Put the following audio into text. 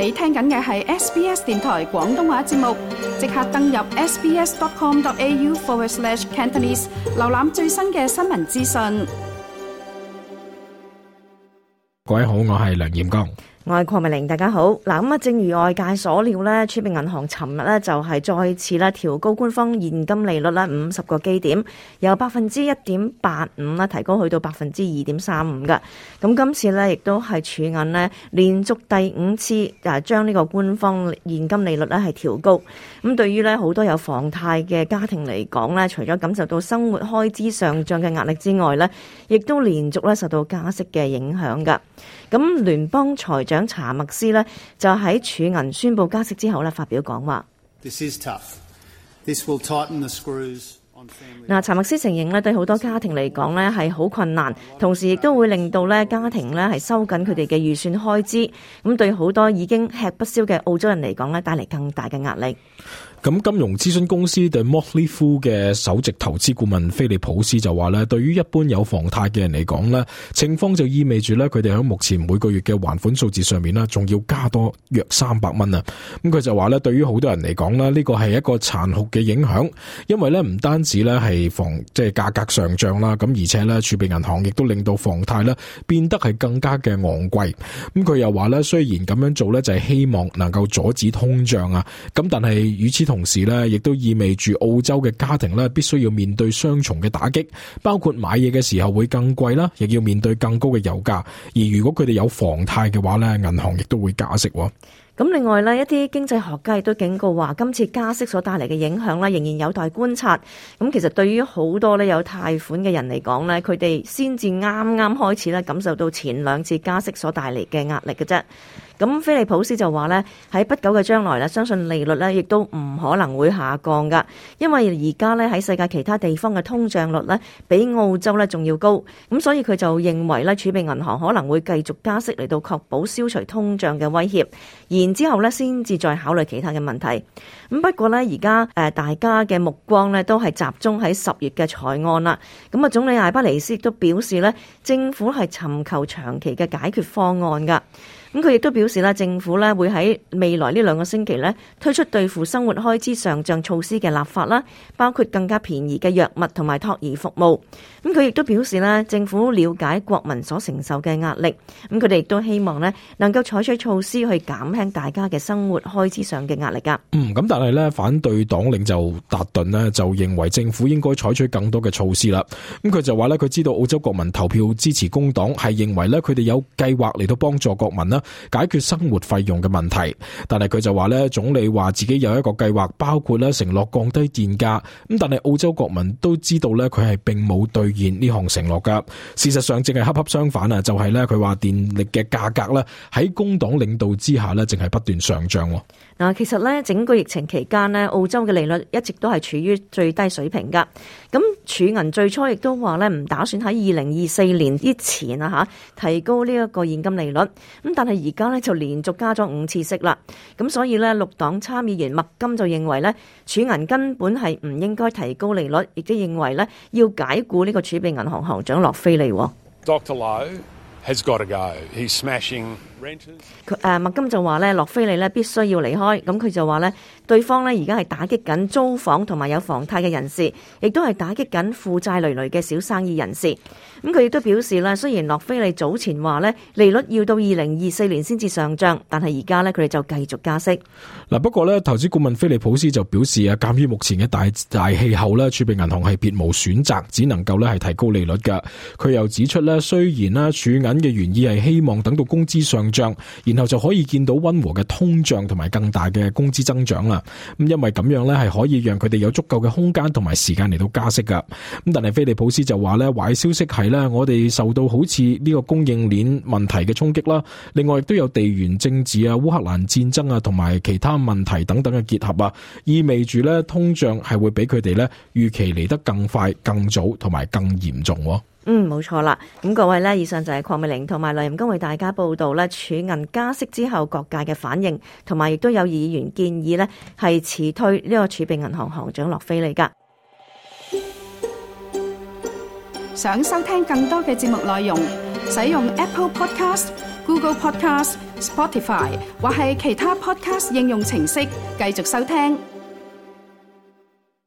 你聽緊嘅係 SBS 電台廣東話節目，即刻登入 sbs.com.au/Cantonese 瀏覽最新嘅新聞資訊。各位好，我係梁彥剛。我係鄺美玲，大家好。嗱，正如外界所料咧，儲備銀行尋日咧就係再次咧調高官方現金利率咧50個基點，由 1.85% 提高去到 2.35% 嘅。咁今次咧亦都係儲銀咧連續第5次將呢個官方現金利率咧係調高。咁對於咧好多有房貸嘅家庭嚟講咧，除咗感受到生活開支上漲嘅壓力之外咧，亦都連續咧受到加息嘅影響㗎。咁聯邦財長查默斯呢就喺儲銀宣布加息之後呢發表講話。查默斯承認呢對好多家庭嚟講呢係好困難，同時亦都會令到呢家庭呢係收緊佢哋嘅預算開支，咁對好多已經吃不消嘅澳洲人嚟講呢帶嚟更大嘅壓力。咁金融諮詢公司 The Motley Fool 嘅首席投資顧問菲利普斯就話咧，對於一般有房貸嘅人嚟講咧，情況就意味住咧佢哋喺目前每個月嘅還款數字上面咧，仲要加多約300蚊啊！咁佢就話咧，對於好多人嚟講咧，呢個係一個殘酷嘅影響，因為咧唔單止咧係即係價格上漲啦，咁而且咧儲備銀行亦都令到房貸咧變得係更加嘅昂貴。咁佢又話咧，雖然咁樣做咧就係希望能夠阻止通脹啊，咁但係與此同時咧，亦都意味住澳洲嘅家庭咧，必須要面對雙重嘅打擊，包括買嘢嘅時候會更貴啦，亦要面對更高嘅油價。而如果佢哋有房貸嘅話咧，銀行亦都會加息。咁另外呢，一啲經濟學家亦都警告話，今次加息所帶嚟嘅影響呢，仍然有待觀察。咁其實對於好多呢有貸款嘅人嚟講呢，佢哋先至啱啱開始呢感受到前2次加息所帶嚟嘅壓力嘅啫。咁菲利普斯就話呢，喺不久嘅將來呢，相信利率呢亦都唔可能會下降噶，因為而家呢喺世界其他地方嘅通脹率呢比澳洲呢仲要高，咁所以佢就認為呢儲備銀行可能會繼續加息嚟到確保消除通脹嘅威脅，然之後呢先至再考慮其他嘅問題。咁不過呢，而家大家嘅目光呢都係集中喺10月嘅財案啦。咁啊，總理艾巴尼斯亦都表示呢，政府係尋求長期嘅解決方案噶。咁佢亦都表示啦，政府咧會喺未來呢2個星期咧推出對付生活開支上漲措施嘅立法啦，包括更加便宜嘅藥物同埋托兒服務。咁佢亦都表示咧，政府了解國民所承受嘅壓力，咁佢哋亦都希望咧能夠採取措施去減輕大家嘅生活開支上嘅壓力噶。咁但係咧，反對黨領袖達頓呢就認為政府應該採取更多嘅措施啦。咁佢就話咧，佢知道澳洲國民投票支持工黨係認為咧，佢哋有計劃嚟到幫助國民啦解決生活費用嘅問題，但係佢就話咧，總理話自己有一個計劃，包括咧承諾降低電價，咁但係澳洲國民都知道咧，佢係並冇兌現呢項承諾噶。事實上，正係恰恰相反啊，就係咧佢話電力嘅價格咧喺工黨領導之下咧，淨係不斷上漲。嗱，其實咧整個疫情期間咧，澳洲嘅利率一直都係處於最低水平噶。咁儲銀最初亦都話咧，唔打算喺2024年之前提高呢一個現金利率。咁但係而家咧就連續加咗5次息啦。咁所以咧綠黨參議員麥金就認為咧，儲銀根本係唔應該提高利率，亦都認為咧要解僱呢個儲備銀行行長洛菲利。Dr. Lowe has got to go. He's smashing renters. 麥金就話咧，洛菲利咧必須要離開。咁佢就話咧，對方咧而家係打擊緊租房同埋有房貸嘅人士，亦都係打擊緊負債累累嘅小生意人士。咁佢亦都表示啦，雖然洛菲利早前話咧利率要到2024年先至上漲，但係而家咧佢哋就繼續加息。嗱，不過咧投資顧問菲利普斯就表示啊，鑑於目前嘅大氣候咧，儲備銀行係別無選擇，只能夠咧係提高利率噶。佢又指出咧，雖然啦儲銀嘅原意係希望等到工資上漲，然後就可以見到溫和嘅通脹同埋更大嘅工資增長啦。咁因為咁樣咧係可以讓佢哋有足夠嘅空間同埋時間嚟到加息噶。咁但係菲利普斯就話咧，壞消息係咧，我哋受到好似呢個供應鏈問題嘅衝擊啦，另外亦都有地緣政治啊、烏克蘭戰爭啊同埋其他問題等等嘅結合啊，意味住咧通脹係會比佢哋咧預期嚟得更快、更早同埋更嚴重。冇錯啦。咁各位呢，以上就係鄺美玲同埋梁彥剛為大家報道咧儲銀加息之後各界嘅反應，同埋亦都有議員建議呢係辭退呢個儲備銀行行長洛菲利噶。想收聽更多嘅節目內容，使用 Apple Podcast、Google Podcast、Spotify 或係其他 Podcast 應用程式繼續收聽。